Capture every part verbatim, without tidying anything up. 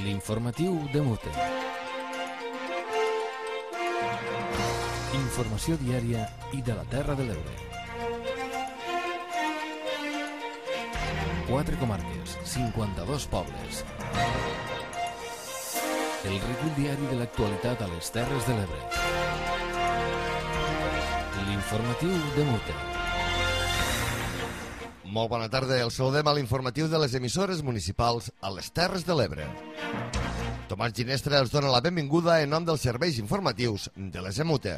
L'informatiu de Mute. Informació diària i de la Terra de l'Ebre. Quatre comarques, cinquanta-dos pobles. El recull diari de l'actualitat a les Terres de l'Ebre. L'informatiu de Mute. Molt bona tarda, el saludem a l'informatiu de les emissores municipals a les Terres de l'Ebre. Tomàs Ginestra els dona la benvinguda en nom dels serveis informatius de les Emute.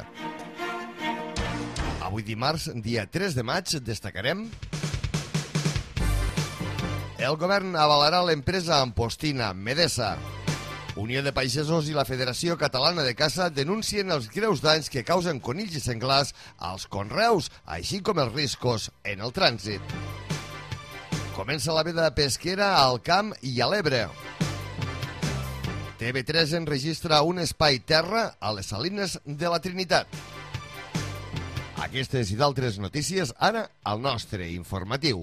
Avui dimarts, dia tres de maig, destacarem: el govern avalarà l'empresa ampostina Medesa. Unió de Pagesos i la Federació Catalana de Caça denuncien els greus danys que causen conills i senglars als conreus, així com els riscos en el trànsit. Comença la veda pesquera al Camp i a l'Ebre. T V tres enregistra un espai terra a les Salines de la Trinitat. Aquestes i d'altres notícies ara al nostre informatiu.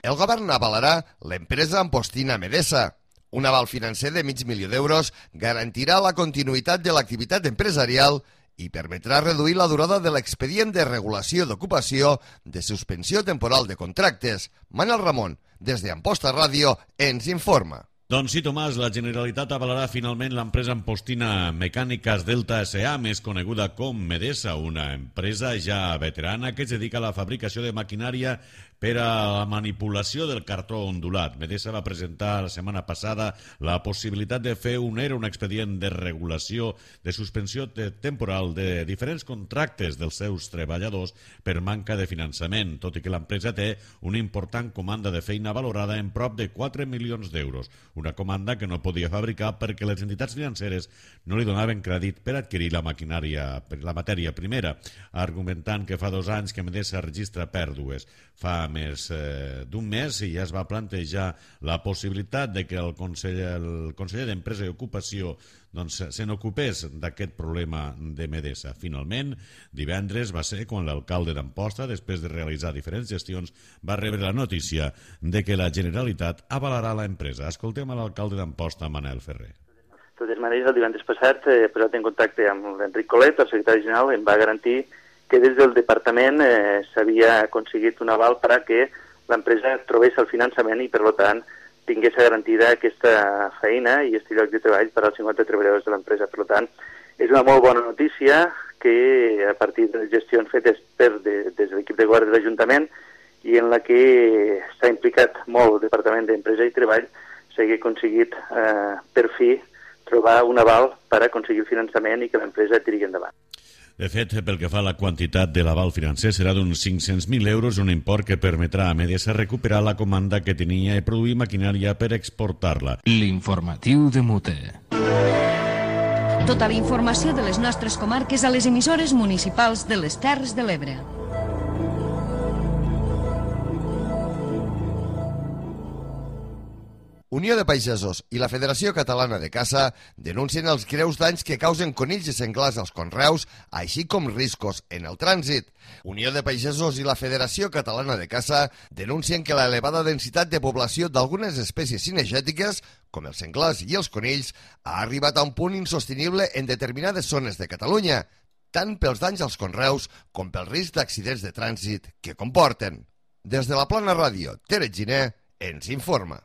El govern avalarà l'empresa ampostina Medesa. Un aval financer de mig milió d'euros garantirà la continuïtat de l'activitat empresarial i permetrà reduir la durada de l'expedient de regulació d'ocupació de suspensió temporal de contractes. Manel Ramon, des d'Amposta Ràdio, ens informa. Doncs sí, Tomàs, la Generalitat avalarà finalment l'empresa ampostina Mecàniques Delta S A, més coneguda com Medesa, una empresa ja veterana que es dedica a la fabricació de maquinària per a la manipulació del cartró ondulat. Medesa va presentar la setmana passada la possibilitat de fer un E R E, un expedient de regulació de suspensió de temporal de diferents contractes dels seus treballadors per manca de finançament, tot i que l'empresa té una important comanda de feina valorada en prop de quatre milions d'euros. Una comanda que no podia fabricar perquè les entitats financeres no li donaven crèdit per adquirir la maquinària, la matèria primera, argumentant que fa dos anys que Medesa registra pèrdues. Fa més eh, d'un mes i ja es va plantejar la possibilitat de que el conseller, el conseller d'Empresa i Ocupació doncs, se n'ocupés d'aquest problema de Medesa. Finalment, divendres va ser quan l'alcalde d'Amposta, després de realitzar diferents gestions, va rebre la notícia de que la Generalitat avalarà l'empresa. Escoltem a l'alcalde d'Amposta, Manel Ferrer. De totes maneres, el divendres passat he posat en contacte amb l'Enric Colet, el secretari general, em va garantir que des del departament eh, s'havia aconseguit un aval per a que l'empresa trobés el finançament i, per tant, tingués garantida aquesta feina i aquest lloc de treball per als cinquanta treballadors de l'empresa. Per tant, és una molt bona notícia que, a partir de les gestions fetes per de, des de l'equip de govern de l'Ajuntament i en la que s'ha implicat molt el Departament d'Empresa i Treball, s'hagi aconseguit eh, per fi trobar un aval per aconseguir el finançament i que l'empresa tiri endavant. De fet, pel que fa a la quantitat de l'aval financer, serà d'uns cinc-cents mil euros, un import que permetrà a Medesa recuperar la comanda que tenia i produir maquinària per exportar-la. L'informatiu de Mute. Tota la informació de les nostres comarques a les emissores municipals de les Terres de l'Ebre. Unió de Pagesos i la Federació Catalana de Caça denuncien els greus danys que causen conills i senglars als conreus, així com riscos en el trànsit. Unió de Pagesos i la Federació Catalana de Caça denuncien que l'elevada densitat de població d'algunes espècies cinegètiques, com els senglars i els conills, ha arribat a un punt insostenible en determinades zones de Catalunya, tant pels danys als conreus com pel risc d'accidents de trànsit que comporten. Des de la Plana Ràdio, Tere Giner ens informa.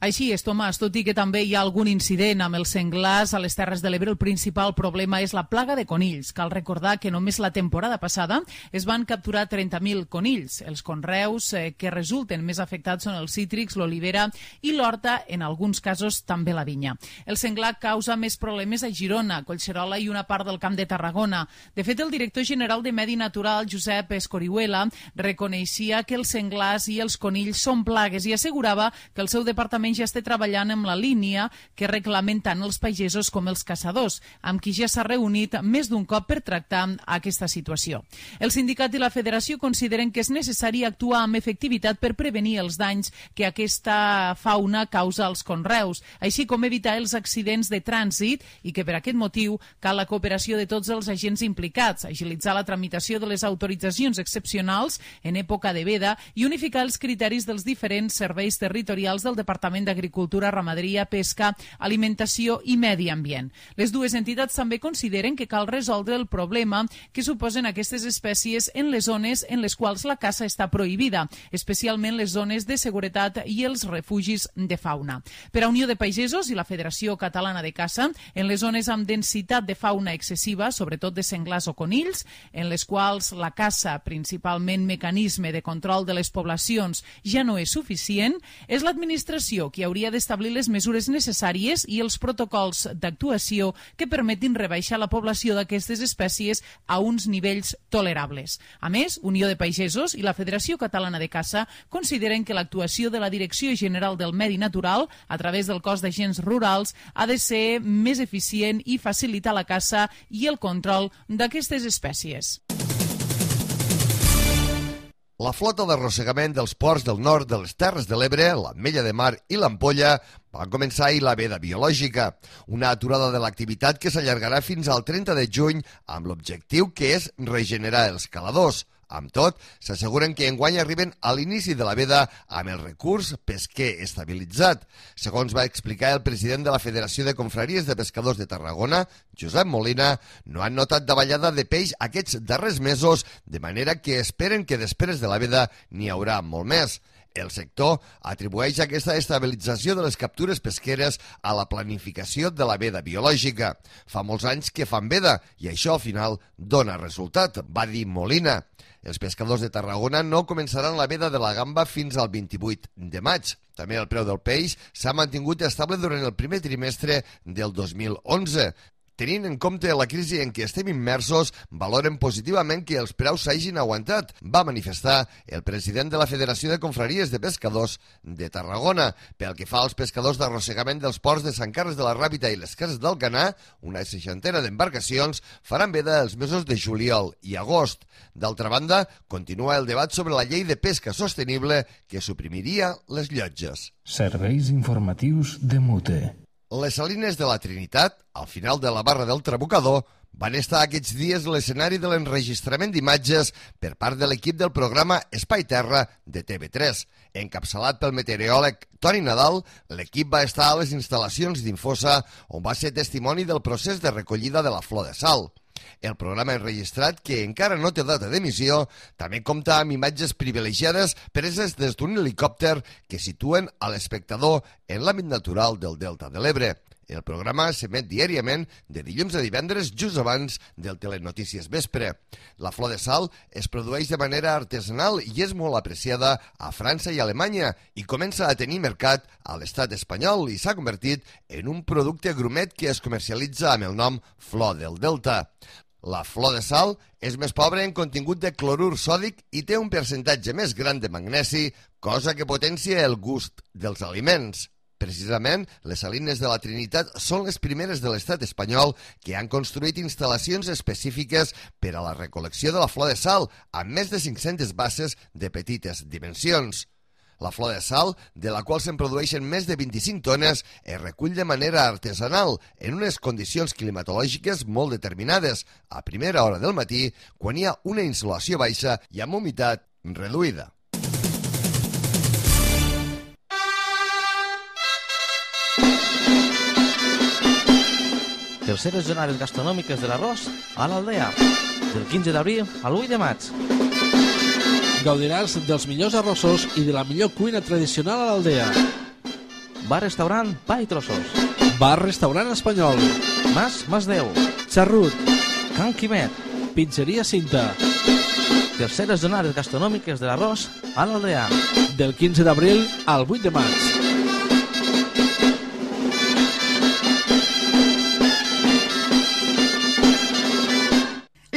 Així és, Tomàs, tot i que també hi ha algun incident amb els senglars a les Terres de l'Ebre, el principal problema és la plaga de conills. Cal recordar que només la temporada passada es van capturar trenta mil conills. Els conreus eh, que resulten més afectats són els cítrics, l'olivera i l'horta, en alguns casos també la vinya. El senglar causa més problemes a Girona, Collserola i una part del Camp de Tarragona. De fet, el director general de Medi Natural, Josep Escorihuela, reconeixia que els senglars i els conills són plagues i assegurava que el seu departament Departament ja està treballant amb la línia que reclamen tant els pagesos com els caçadors, amb qui ja s'ha reunit més d'un cop per tractar aquesta situació. El sindicat i la federació consideren que és necessari actuar amb efectivitat per prevenir els danys que aquesta fauna causa als conreus, així com evitar els accidents de trànsit i que per aquest motiu cal la cooperació de tots els agents implicats, agilitzar la tramitació de les autoritzacions excepcionals en època de veda i unificar els criteris dels diferents serveis territorials del Departament d'Agricultura, Ramaderia, Pesca, Alimentació i Medi Ambient. Les dues entitats també consideren que cal resoldre el problema que suposen aquestes espècies en les zones en les quals la caça està prohibida, especialment les zones de seguretat i els refugis de fauna. Per a Unió de Pagesos i la Federació Catalana de Caça, en les zones amb densitat de fauna excessiva, sobretot de senglars o conills, en les quals la caça, principalment mecanisme de control de les poblacions, ja no és suficient, és l'administració qui hauria d'establir les mesures necessàries i els protocols d'actuació que permetin rebaixar la població d'aquestes espècies a uns nivells tolerables. A més, Unió de Pagesos i la Federació Catalana de Caça consideren que l'actuació de la Direcció General del Medi Natural, a través del cos d'agents rurals, ha de ser més eficient i facilitar la caça i el control d'aquestes espècies. La flota d'arrossegament dels ports del nord de les Terres de l'Ebre, l'Ametlla de Mar i l'Ampolla va començar ahir la veda biològica, una aturada de l'activitat que s'allargarà fins al trenta de juny amb l'objectiu que és regenerar els caladors. Amb tot, s'asseguren que enguany arriben a l'inici de la veda amb el recurs pesquer estabilitzat. Segons va explicar el president de la Federació de Confraries de Pescadors de Tarragona, Josep Molina, no han notat davallada de peix aquests darrers mesos, de manera que esperen que després de la veda n'hi haurà molt més. El sector atribueix aquesta estabilització de les captures pesqueres a la planificació de la veda biològica. Fa molts anys que fan veda i això al final dona resultat, va dir Molina. Els pescadors de Tarragona no començaran la veda de la gamba fins al vint-i-vuit de maig. També el preu del peix s'ha mantingut estable durant el primer trimestre del dos mil onze. Tenint en compte la crisi en què estem immersos, valoren positivament que els preus s'hagin aguantat, va manifestar el president de la Federació de Confraries de Pescadors de Tarragona. Pel que fa als pescadors d'arrossegament dels ports de Sant Carles de la Ràpita i les Cases d'Alcanar, una seixantena d'embarcacions faran veda els mesos de juliol i agost. D'altra banda, continua el debat sobre la llei de pesca sostenible que suprimiria les llotges. Serveis informatius de Mute. Les Salines de la Trinitat, al final de la barra del Trabucador, van estar aquests dies l'escenari de l'enregistrament d'imatges per part de l'equip del programa Espai Terra de T V tres. Encapçalat pel meteoròleg Toni Nadal, l'equip va estar a les instal·lacions d'Infosa, on va ser testimoni del procés de recollida de la flor de sal. El programa enregistrat, que encara no té data d'emissió, també compta amb imatges privilegiades preses des d'un helicòpter que situen a l'espectador en l'àmbit natural del Delta de l'Ebre. El programa s'emet diàriament de dilluns a divendres just abans del Telenotícies Vespre. La flor de sal es produeix de manera artesanal i és molt apreciada a França i Alemanya i comença a tenir mercat a l'estat espanyol i s'ha convertit en un producte grumet que es comercialitza amb el nom Flor del Delta. La flor de sal és més pobra en contingut de clorur sòdic i té un percentatge més gran de magnesi, cosa que potencia el gust dels aliments. Precisament, les Salines de la Trinitat són les primeres de l'estat espanyol que han construït instal·lacions específiques per a la recol·lecció de la flor de sal, amb més de cinc-centes basses de petites dimensions. La flor de sal, de la qual se'n produeixen més de vint-i-cinc tones, es recull de manera artesanal, en unes condicions climatològiques molt determinades, a primera hora del matí, quan hi ha una insolació baixa i amb humitat reduïda. Terceres jornades gastronòmiques de l'arròs a l'Aldea, del quinze d'abril al vuit de maig. Gaudiràs dels millors arrossos i de la millor cuina tradicional a l'Aldea. Bar-restaurant Pa i Trossos. Bar-restaurant espanyol. Mas Masdeu. Xarrut. Can Quimet. Pizzeria Cinta. Terceres jornades gastronòmiques de l'arròs a l'Aldea. Del quinze d'abril al vuit de maig.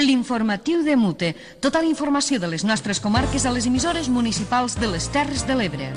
L'informatiu de Mute. Tota la informació de les nostres comarques a les emissores municipals de les Terres de l'Ebre.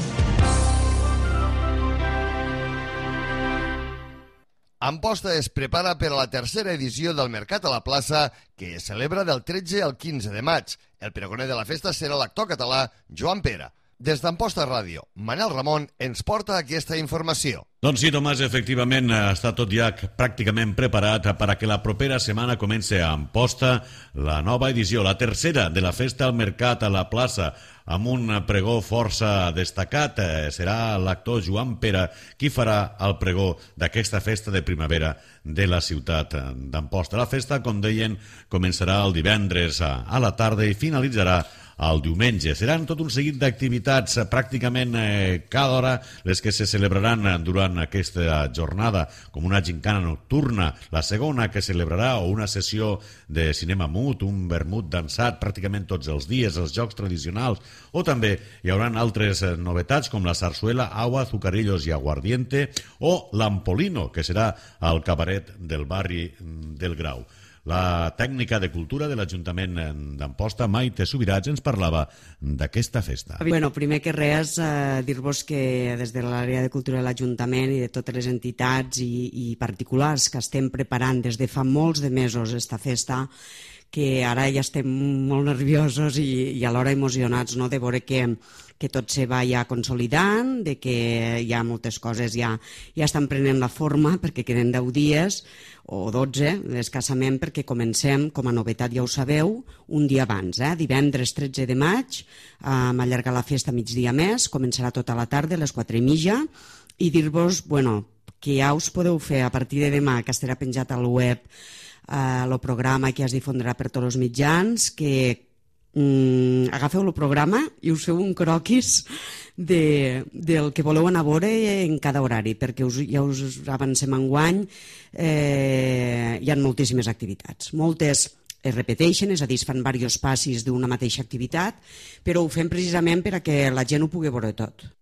Amposta es prepara per a la tercera edició del Mercat a la Plaça, que es celebra del tretze al quinze de maig. El pregoner de la festa serà l'actor català Joan Pera. Des d'Amposta Ràdio, Manel Ramon ens porta aquesta informació. Doncs sí, Tomàs, efectivament està tot ja pràcticament preparat perquè la propera setmana comenci a Amposta la nova edició, la tercera de la festa al Mercat a la Plaça, amb un pregó força destacat. Serà l'actor Joan Pera qui farà el pregó d'aquesta festa de primavera de la ciutat d'Amposta. La festa, com deien, començarà el divendres a la tarda i finalitzarà el diumenge. Seran tot un seguit d'activitats, pràcticament eh, cada hora, les que se celebraran durant aquesta jornada, com una gincana nocturna, la segona que celebrarà, o una sessió de cinema mut, un vermut dansat pràcticament tots els dies, els jocs tradicionals, o també hi haurà altres novetats com la sarsuela, agua, azucarillos i aguardiente, o l'ampolino, que serà el cabaret del barri del Grau. La tècnica de cultura de l'Ajuntament d'Amposta, Maite Subirats, ens parlava d'aquesta festa. Bueno, primer que res, eh, dir-vos que des de l'àrea de cultura de l'Ajuntament i de totes les entitats i, i particulars que estem preparant des de fa molts de mesos esta festa, que ara ja estem molt nerviosos i, i alhora emocionats, no?, de veure que, que tot se va ja consolidant, de que hi ha moltes coses ja, ja estan prenent la forma, perquè queden deu dies o dotze, escassament, perquè comencem, com a novetat ja ho sabeu, un dia abans, eh? divendres tretze de maig, eh, allargar la festa migdia més, començarà tota la tarda, a les quatre i mitja, i dir-vos, bueno, que ja us podeu fer a partir de demà, que estarà penjat al web, el uh, programa que es difondrà per tots els mitjans, que um, agafeu el programa i us feu un croquis de, del que voleu anar a veure en cada horari, perquè us, ja us avancem enguany, eh, hi ha moltíssimes activitats, moltes es repeteixen, és a dir, es fan diversos passis d'una mateixa activitat, però ho fem precisament perquè la gent ho pugui veure tot.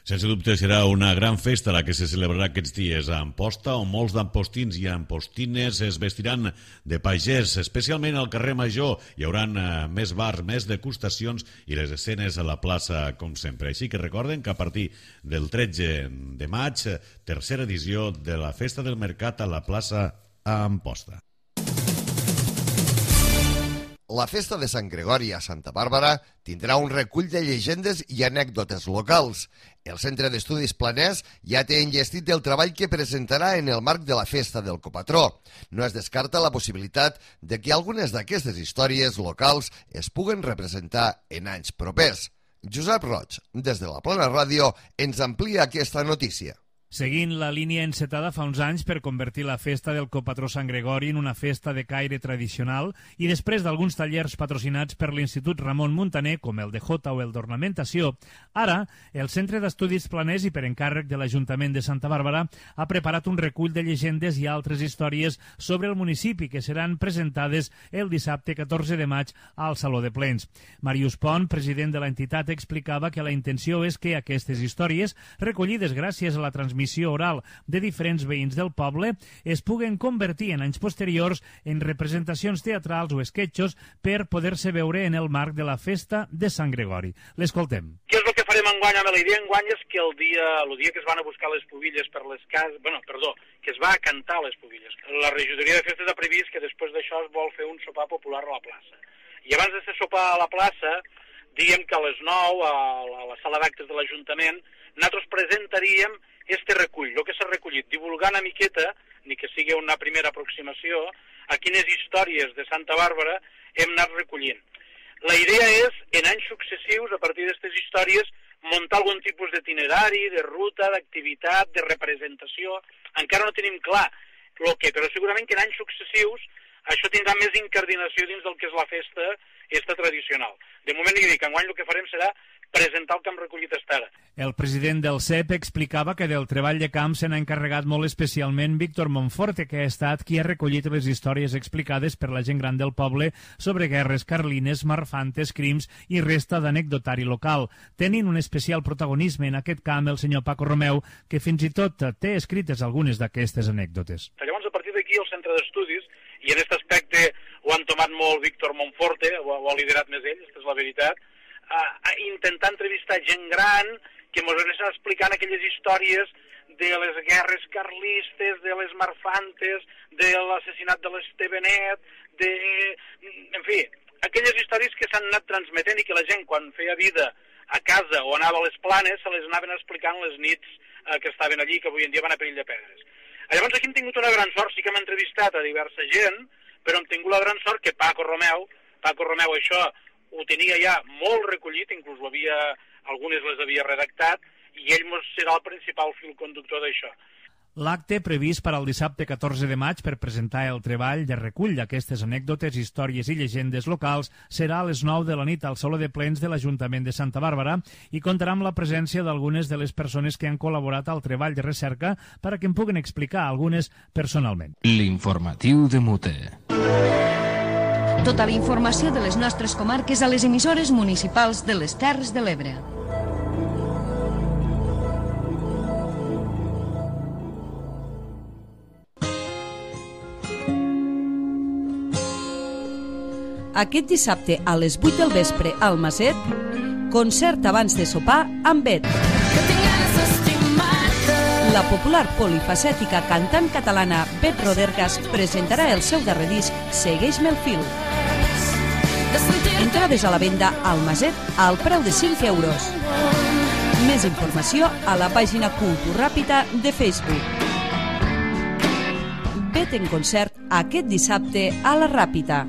Sense dubte serà una gran festa la que se celebrarà aquests dies a Amposta, on molts d'ampostins i ampostines es vestiran de pagès, especialment al carrer Major. Hi haurà més bars, més degustacions i les escenes a la plaça, com sempre. Així que recorden que a partir del tretze de maig, tercera edició de la Festa del Mercat a la plaça a Amposta. La festa de Sant Gregori a Santa Bàrbara tindrà un recull de llegendes i anècdotes locals. El Centre d'Estudis Planers ja té enllestit el treball que presentarà en el marc de la festa del copatró. No es descarta la possibilitat de que algunes d'aquestes històries locals es puguen representar en anys propers. Josep Roig, des de la Plana Ràdio, ens amplia aquesta notícia. Seguint la línia encetada fa uns anys per convertir la festa del copatró Sant Gregori en una festa de caire tradicional i després d'alguns tallers patrocinats per l'Institut Ramon Muntaner, com el de Jota o el d'Ornamentació, ara el Centre d'Estudis Planers i per encàrrec de l'Ajuntament de Santa Bàrbara ha preparat un recull de llegendes i altres històries sobre el municipi que seran presentades el dissabte catorze de maig al Saló de Plens. Màrius Pont, president de l'entitat, explicava que la intenció és que aquestes històries, recollides gràcies a la transmissió missió oral de diferents veïns del poble, es puguen convertir en anys posteriors en representacions teatrals o esquetxos per poder-se veure en el marc de la festa de Sant Gregori. L'escoltem. Què és el que farem enguany amb la idea? Enguany és que el dia, el dia que es van a buscar les pubilles per les cases, bueno, perdó, que es va a cantar les pubilles. La regidoria de festes ha previst que després d'això es vol fer un sopar popular a la plaça. I abans de sopar a la plaça, diguem que a les nou, a la sala d'actes de l'Ajuntament, nosaltres presentaríem este recull, el que s'ha recollit, divulgar una miqueta, ni que sigui una primera aproximació, a quines històries de Santa Bàrbara hem anat recollint. La idea és, en anys successius, a partir d'aquestes històries, muntar algun tipus d'itinerari, de ruta, d'activitat, de representació. Encara no tenim clar el que, però segurament que en anys successius això tindrà més incardinació dins del que és la festa esta tradicional. De moment, li dic, enguany el que farem serà presentar el que hem recollit fins ara. El president del C E P explicava que del treball de camp se n'ha encarregat molt especialment Víctor Monforte, que ha estat qui ha recollit les històries explicades per la gent gran del poble sobre guerres carlines, marfantes, crims i resta d'anecdotari local. Tenint un especial protagonisme en aquest camp el senyor Paco Romeu, que fins i tot té escrites algunes d'aquestes anècdotes. Llavors, a partir d'aquí, el centre d'estudis, i en aquest aspecte ho han tomat molt Víctor Monforte, ho ha liderat més ell, aquesta és la veritat, a intentar entrevistar gent gran que ens anés explicant aquelles històries de les guerres carlistes, de les marfantes, de l'assassinat de l'Estevenet, de... en fi, aquelles històries que s'han anat transmetent i que la gent, quan feia vida a casa o anava a les Planes, se les anaven explicant les nits eh, que estaven allí, que avui en dia van a Perill de Pedres. Llavors aquí hem tingut una gran sort, sí que hem entrevistat a diversa gent, però hem tingut la gran sort que Paco Romeu, Paco Romeu això ho tenia ja molt recollit, inclús ho havia, algunes les havia redactat, i ell serà el principal fil conductor d'això. L'acte previst per al dissabte catorze de maig per presentar el treball de recull d'aquestes anècdotes, històries i llegendes locals serà a les nou de la nit al Saló de Plens de l'Ajuntament de Santa Bàrbara i comptarà amb la presència d'algunes de les persones que han col·laborat al treball de recerca per a que en puguen explicar algunes personalment. L'informatiu de Mute. Tota la informació de les nostres comarques a les emissores municipals de les Terres de l'Ebre. Aquest dissabte a les vuit del vespre al Maset, concert abans de sopar amb Bet. La popular polifacètica cantant catalana Bet Rodergas presentarà el seu darrer disc Segueix-me el fil. Entrades a la venda al Maset al preu de cinc euros. Més informació a la pàgina Cultura Ràpida de Facebook. Bet en concert aquest dissabte a la Ràpida.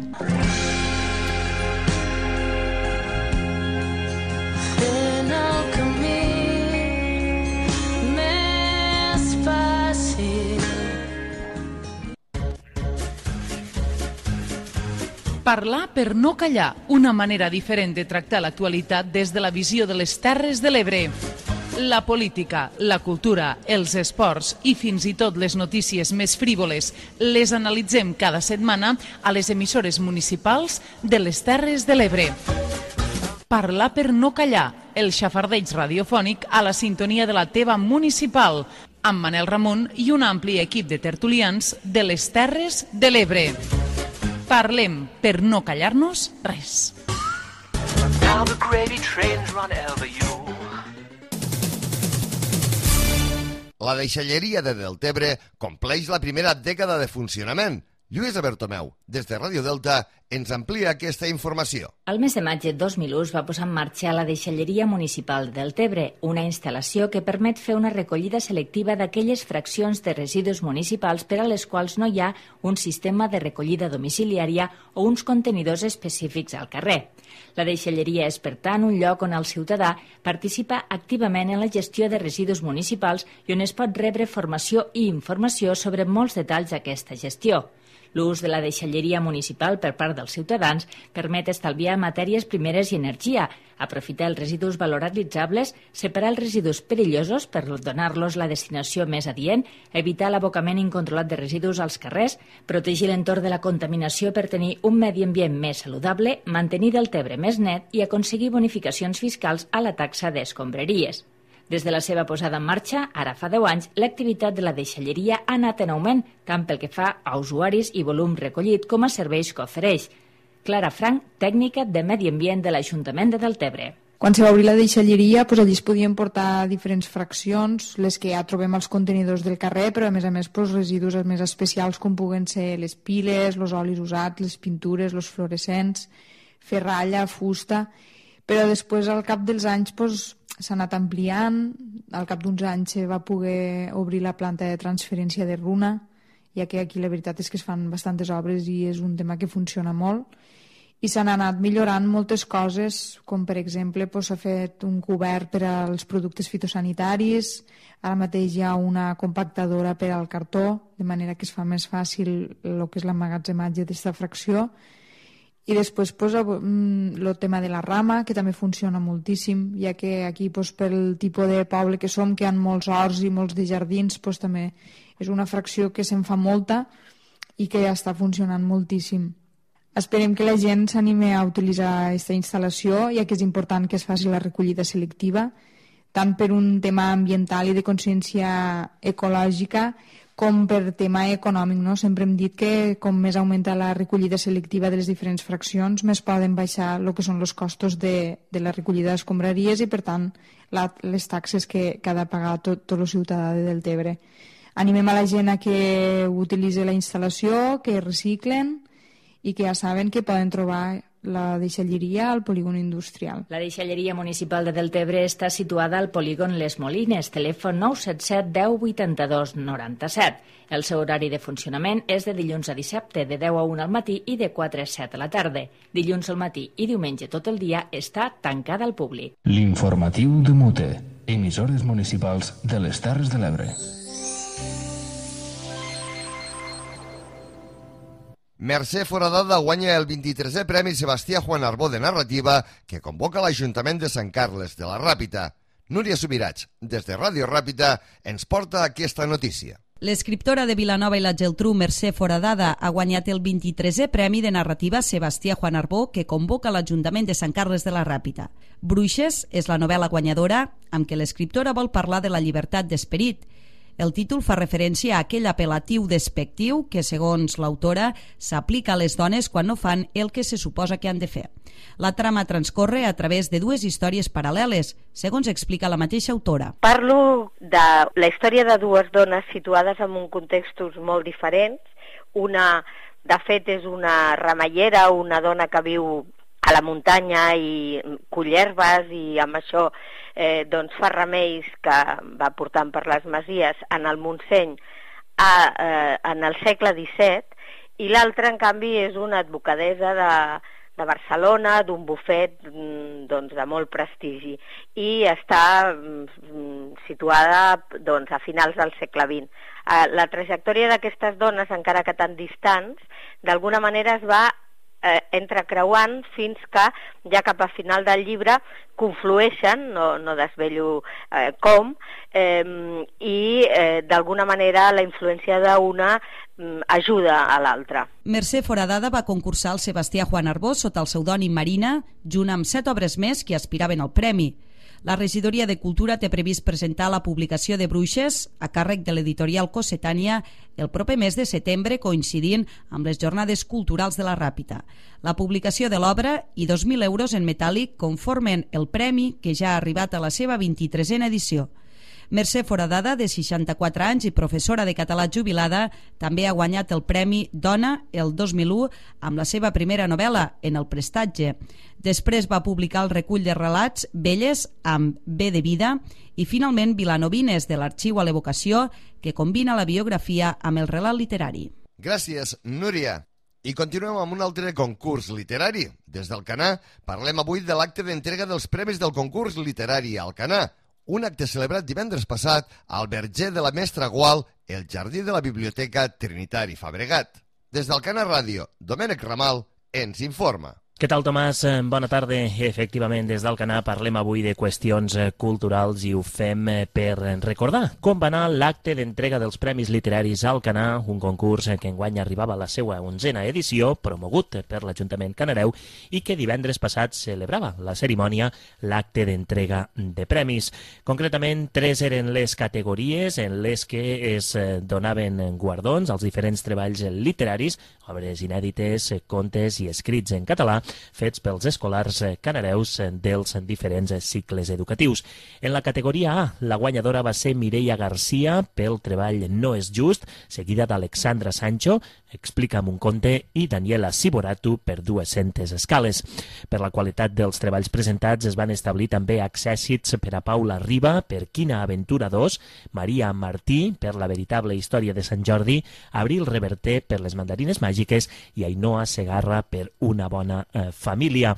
Parlar per no callar, una manera diferent de tractar l'actualitat des de la visió de les Terres de l'Ebre. La política, la cultura, els esports i fins i tot les notícies més frívoles les analitzem cada setmana a les emissores municipals de les Terres de l'Ebre. Parlar per no callar, el xafardeig radiofònic a la sintonia de la teva municipal, amb Manel Ramon i un ampli equip de tertulians de les Terres de l'Ebre. Parlem per no callar-nos res. La deixalleria de Deltebre compleix la primera dècada de funcionament. Lluïsa Bertomeu, des de Ràdio Delta, ens amplia aquesta informació. El mes de maig de dos mil u es va posar en marxa la deixalleria municipal del Tebre, una instal·lació que permet fer una recollida selectiva d'aquelles fraccions de residus municipals per a les quals no hi ha un sistema de recollida domiciliària o uns contenidors específics al carrer. La deixalleria és, per tant, un lloc on el ciutadà participa activament en la gestió de residus municipals i on es pot rebre formació i informació sobre molts detalls d'aquesta gestió. L'ús de la deixalleria municipal per part dels ciutadans permet estalviar matèries primeres i energia, aprofitar els residus valoritzables, separar els residus perillosos per donar-los la destinació més adient, evitar l'abocament incontrolat de residus als carrers, protegir l'entorn de la contaminació per tenir un medi ambient més saludable, mantenir el Tebre més net i aconseguir bonificacions fiscals a la taxa d'escombraries. Des de la seva posada en marxa, ara fa deu anys, l'activitat de la deixalleria ha anat en augment, tant pel que fa a usuaris i volum recollit com a serveis que ofereix. Clara Frank, tècnica de Medi Ambient de l'Ajuntament de Deltebre. Quan se va obrir la deixalleria, doncs, allí es podien portar diferents fraccions, les que ja trobem als contenidors del carrer, però a més a més doncs, residus més especials com puguen ser les piles, els olis usats, les pintures, els fluorescents, ferralla, fusta... Però després, al cap dels anys, doncs, s'ha anat ampliant. Al cap d'uns anys se va poder obrir la planta de transferència de runa, ja que aquí la veritat és que es fan bastantes obres i és un tema que funciona molt. I s'han anat millorant moltes coses, com per exemple doncs, s'ha fet un cobert per als productes fitosanitaris, ara mateix hi ha una compactadora per al cartó, de manera que es fa més fàcil el que és l'emmagatzematge d'aquesta fracció. I després pues, el tema de la rama, que també funciona moltíssim, ja que aquí pues, pel tipus de poble que som, que hi ha molts horts i molts de jardins, pues, també és una fracció que se'n fa molta i que ja està funcionant moltíssim. Esperem que la gent s'anime a utilitzar aquesta instal·lació, ja que és important que es faci la recollida selectiva, tant per un tema ambiental i de consciència ecològica, com per tema econòmic, no? Sempre hem dit que com més augmenta la recollida selectiva de les diferents fraccions, més poden baixar el que són els costos de, de la recollida d'escombraries i, per tant, la, les taxes que, que ha de pagar tot, tot el ciutadà de Deltebre. Animem a la gent a que utilitzi la instal·lació, que reciclen i que ja saben que poden trobar la deixalleria al polígon industrial. La deixalleria municipal de Deltebre està situada al polígon Les Molines, telèfon nou set set deu vuitanta-dos noranta-set. El seu horari de funcionament és de dilluns a dissabte, de deu a una al matí i de quatre a set a la tarda. Dilluns al matí i diumenge tot el dia està tancada al públic. L'informatiu de Mute, emissores municipals de les Terres de l'Ebre. Mercè Foradada guanya el vint-i-tresè Premi Sebastià Juan Arbó de Narrativa que convoca l'Ajuntament de Sant Carles de la Ràpita. Núria Subirats, des de Ràdio Ràpita, ens porta aquesta notícia. L'escriptora de Vilanova i la Geltrú, Mercè Foradada, ha guanyat el vint-i-tresè Premi de Narrativa Sebastià Juan Arbó que convoca l'Ajuntament de Sant Carles de la Ràpita. Bruixes és la novel·la guanyadora amb què l'escriptora vol parlar de la llibertat d'esperit. El títol fa referència a aquell apel·latiu despectiu que, segons l'autora, s'aplica a les dones quan no fan el que se suposa que han de fer. La trama transcorre a través de dues històries paral·leles, segons explica la mateixa autora. Parlo de la història de dues dones situades en un contextos molt diferents. Una, de fet, és una ramallera, una dona que viu a la muntanya i cull herbes i amb això eh, doncs fa remeis que va portant per les masies en el Montseny a, eh, en el segle disset, i l'altra, en canvi, és una advocadessa de, de Barcelona, d'un bufet doncs, de molt prestigi, i està mm, situada doncs, a finals del segle vint. Eh, la trajectòria d'aquestes dones, encara que tan distants, d'alguna manera es va Eh, entrecreuant fins que ja cap a final del llibre conflueixen, no, no desvello eh, com, eh, i eh, d'alguna manera la influència d'una mm, ajuda a l'altra. Mercè Foradada va concursar al Sebastià Juan Arbó sota el pseudònim Marina, junt amb set obres més que aspiraven al premi. La regidoria de Cultura té previst presentar la publicació de Bruixes a càrrec de l'editorial Cossetània el proper mes de setembre, coincidint amb les Jornades Culturals de la Ràpita. La publicació de l'obra i dos mil euros en metàl·lic conformen el premi que ja ha arribat a la seva vint-i-tresena edició. Mercè Foradada, de seixanta-quatre anys i professora de català jubilada, també ha guanyat el Premi Dona el dos mil u amb la seva primera novel·la, En el prestatge. Després va publicar el recull de relats Velles amb B de vida i finalment Vilanovines, de l'Arxiu a l'Evocació, que combina la biografia amb el relat literari. Gràcies, Núria. I continuem amb un altre concurs literari. Des d'Alcanar parlem avui de l'acte d'entrega dels premis del concurs literari Alcanar, un acte celebrat divendres passat al Verger de la Mestra Gual, el jardí de la Biblioteca Trinitari Fabregat. Des d'Alcanar Ràdio, Domènec Ramal ens informa. Què tal, Tomàs? Bona tarda. Efectivament, des d'Alcanar parlem avui de qüestions culturals i ho fem per recordar com va anar l'acte d'entrega dels Premis Literaris Alcanar, un concurs que enguany arribava a la seva onzena edició, promogut per l'Ajuntament canareu i que divendres passat celebrava la cerimònia, l'acte d'entrega de premis. Concretament, tres eren les categories en les que es donaven guardons als diferents treballs literaris, obres inèdites, contes i escrits en català, fets pels escolars canareus dels diferents cicles educatius. En la categoria A, la guanyadora va ser Mireia Garcia pel treball No és just, seguida d'Alexandra Sancho, Explica'm un conte, i Daniela Siboratu per Dues-centes escales. Per la qualitat dels treballs presentats es van establir també accèssits per a Paula Riba per Quina aventura dos, Maria Martí per La veritable història de Sant Jordi, Abril Reverter per Les mandarines màgiques i Ainhoa Segarra per Una bona eh, família.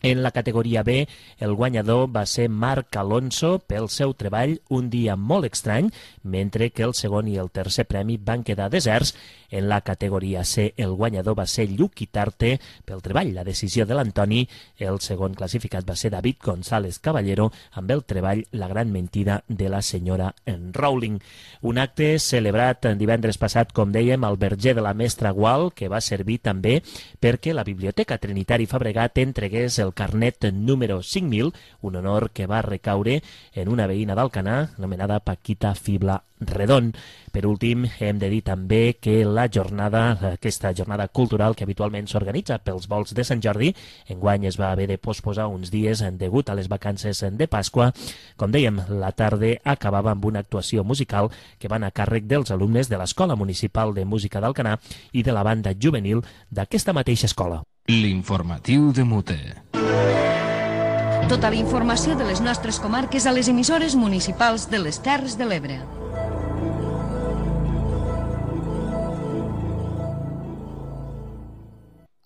En la categoria B, el guanyador va ser Marc Alonso pel seu treball Un dia molt estrany, mentre que el segon i el tercer premi van quedar deserts. En la categoria C, el guanyador va ser Lluc Itarte pel treball La decisió de l'Antoni. El segon classificat va ser David González Caballero amb el treball La gran mentida de la senyora Rowling. Un acte celebrat divendres passat, com dèiem, al Verger de la Mestra Gual, que va servir també perquè la Biblioteca Trinitari Fabregat entregués el el carnet número cinc mil, un honor que va recaure en una veïna d'Alcanar, anomenada Paquita Fibla Redon. Per últim, hem de dir també que la jornada, aquesta jornada cultural que habitualment s'organitza pels volts de Sant Jordi, enguany es va haver de posposar uns dies degut a les vacances de Pasqua. Com dèiem, la tarda acabava amb una actuació musical que van a càrrec dels alumnes de l'Escola Municipal de Música d'Alcanar i de la banda juvenil d'aquesta mateixa escola. L'informatiu de Mute. Tota la informació de les nostres comarques a les emissores municipals de les Terres de l'Ebre.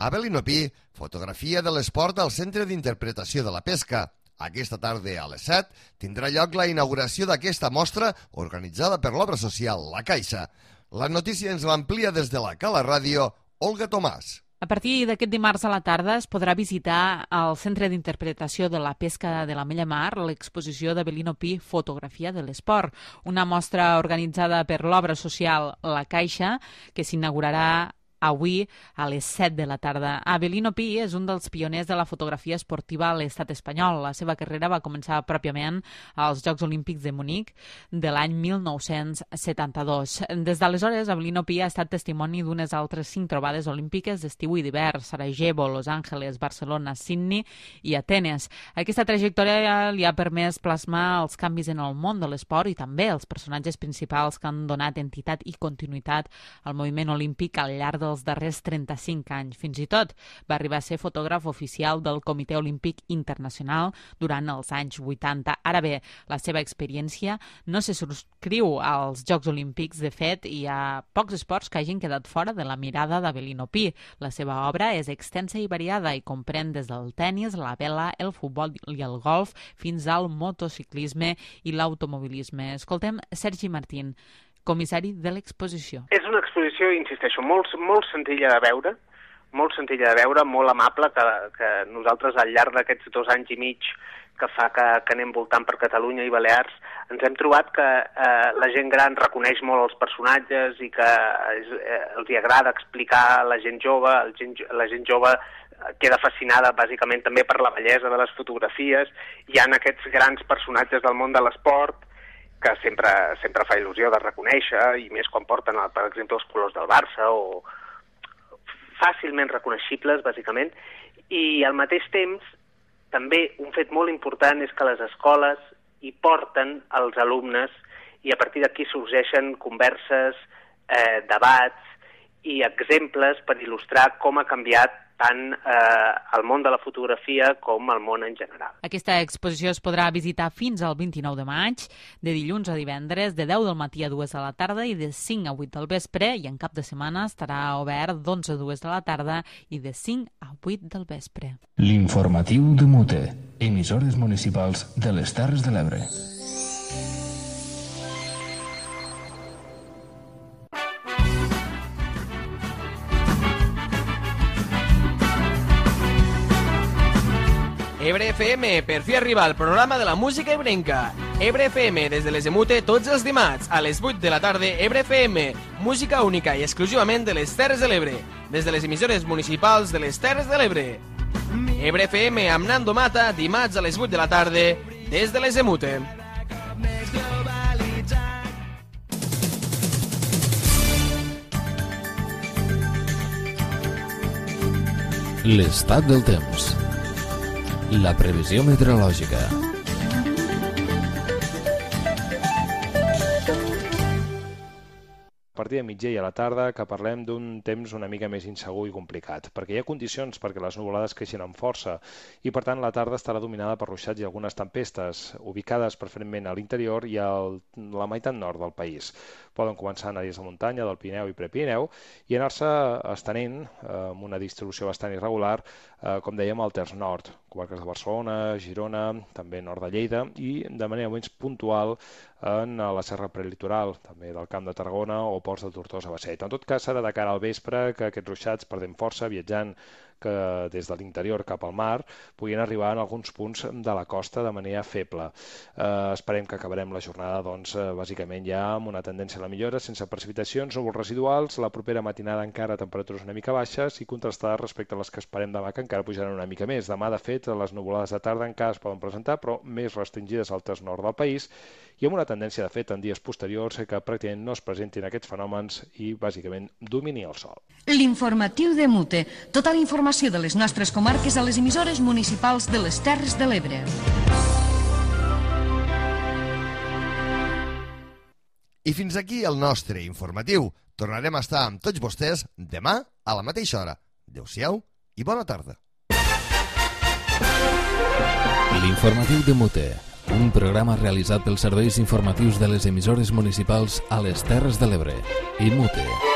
Abel Inopí, fotografia de l'esport al Centre d'Interpretació de la Pesca. Aquesta tarda a les set tindrà lloc la inauguració d'aquesta mostra organitzada per l'obra social La Caixa. La notícia ens l'amplia des de la Cala Ràdio, Olga Tomàs. A partir d'aquest dimarts a la tarda es podrà visitar al Centre d'Interpretació de la Pesca de la Mella Mar l'exposició d'Abelino Pi, Fotografia de l'Esport, una mostra organitzada per l'obra social La Caixa que s'inaugurarà avui a les set de la tarda. Abelino Pi és un dels pioners de la fotografia esportiva a l'estat espanyol. La seva carrera va començar pròpiament als Jocs Olímpics de Munic de l'any mil nou-cents setanta-dos. Des d'aleshores, Abelino Pi ha estat testimoni d'unes altres cinc trobades olímpiques d'estiu i d'hivern: Sarajevo, Los Angeles, Barcelona, Sydney i Atenes. Aquesta trajectòria li ha permès plasmar els canvis en el món de l'esport i també els personatges principals que han donat entitat i continuïtat al moviment olímpic al llarg del els darrers trenta-cinc anys. Fins i tot va arribar a ser fotògraf oficial del Comitè Olímpic Internacional durant els anys vuitanta. Ara bé, la seva experiència no se subscriu als Jocs Olímpics. De fet, hi ha pocs esports que hagin quedat fora de la mirada d'Abelino Pi. La seva obra és extensa i variada i comprèn des del tennis, la vela, el futbol i el golf fins al motociclisme i l'automobilisme. Escoltem Sergi Martín, comissari de l'exposició. És una exposició, insisteixo, molt, molt senzilla de veure, molt senzilla de veure, molt amable, que, que nosaltres al llarg d'aquests dos anys i mig que fa que, que anem voltant per Catalunya i Balears, ens hem trobat que eh, la gent gran reconeix molt els personatges i que és, eh, els agrada explicar a la gent jove, el gent, la gent jove queda fascinada bàsicament també per la bellesa de les fotografies. Hi ha aquests grans personatges del món de l'esport que sempre, sempre fa il·lusió de reconèixer, i més quan porten, per exemple, els colors del Barça, o fàcilment reconeixibles, bàsicament. I al mateix temps, també un fet molt important és que les escoles hi porten els alumnes i a partir d'aquí sorgeixen converses, eh, debats i exemples per il·lustrar com ha canviat tant eh, el món de la fotografia com el món en general. Aquesta exposició es podrà visitar fins al vint-i-nou de maig, de dilluns a divendres, de deu del matí a dues de la tarda i de cinc a vuit del vespre, i en cap de setmana estarà obert d'onze a dues de la tarda i de cinc a vuit del vespre. L'informatiu de Mute, emissores municipals de les Terres de l'Ebre. Ebre F M, per fi arriba el programa de la música ebrenca. Ebre F M, des de les Emute, tots els dimarts, a les vuit de la tarda, Ebre F M, música única i exclusivament de les Terres de l'Ebre, des de les emissores municipals de les Terres de l'Ebre. Ebre F M amb Nando Mata, dimarts a les vuit de la tarda, des de les Emute. L'estat del temps. La previsió meteorològica. A partir de mitjà i a la tarda que parlem d'un temps una mica més insegur i complicat, perquè hi ha condicions perquè les nuvolades creixin amb força i per tant la tarda estarà dominada per ruixats i algunes tempestes, ubicades preferentment a l'interior i a la meitat nord del país. Poden començar en àrees de muntanya, del Pirineu i Prepirineu, i anar-se estenent eh, amb una distribució bastant irregular, eh, com dèiem, al terç nord, comarques de Barcelona, Girona, també nord de Lleida, i de manera menys puntual en la serra prelitoral, també del Camp de Tarragona o ports de Tortosa, Bassett. En tot cas, serà de cara al vespre que aquests ruixats perdem força, viatjant que des de l'interior cap al mar puguin arribar en alguns punts de la costa de manera feble. Eh, esperem que acabarem la jornada doncs, eh, bàsicament ja amb una tendència a la millora, sense precipitacions, núvols residuals, la propera matinada encara temperatures una mica baixes i contrastades respecte a les que esperem demà, que encara pujaran una mica més. Demà, de fet, les nuvolades de tarda encara es poden presentar, però més restringides al terç nord del país, i amb una tendència, de fet, en dies posteriors que pràcticament no es presentin aquests fenòmens i, bàsicament, domini el sol. L'informatiu de Mute. Tota la informació de les nostres comarques a les emissores municipals de les Terres de l'Ebre. I fins aquí el nostre informatiu. Tornarem a estar amb tots vostès demà a la mateixa hora. Adéu-siau i bona tarda. L'informatiu de Mute, un programa realitzat pels serveis informatius de les emissores municipals a les Terres de l'Ebre i Mute.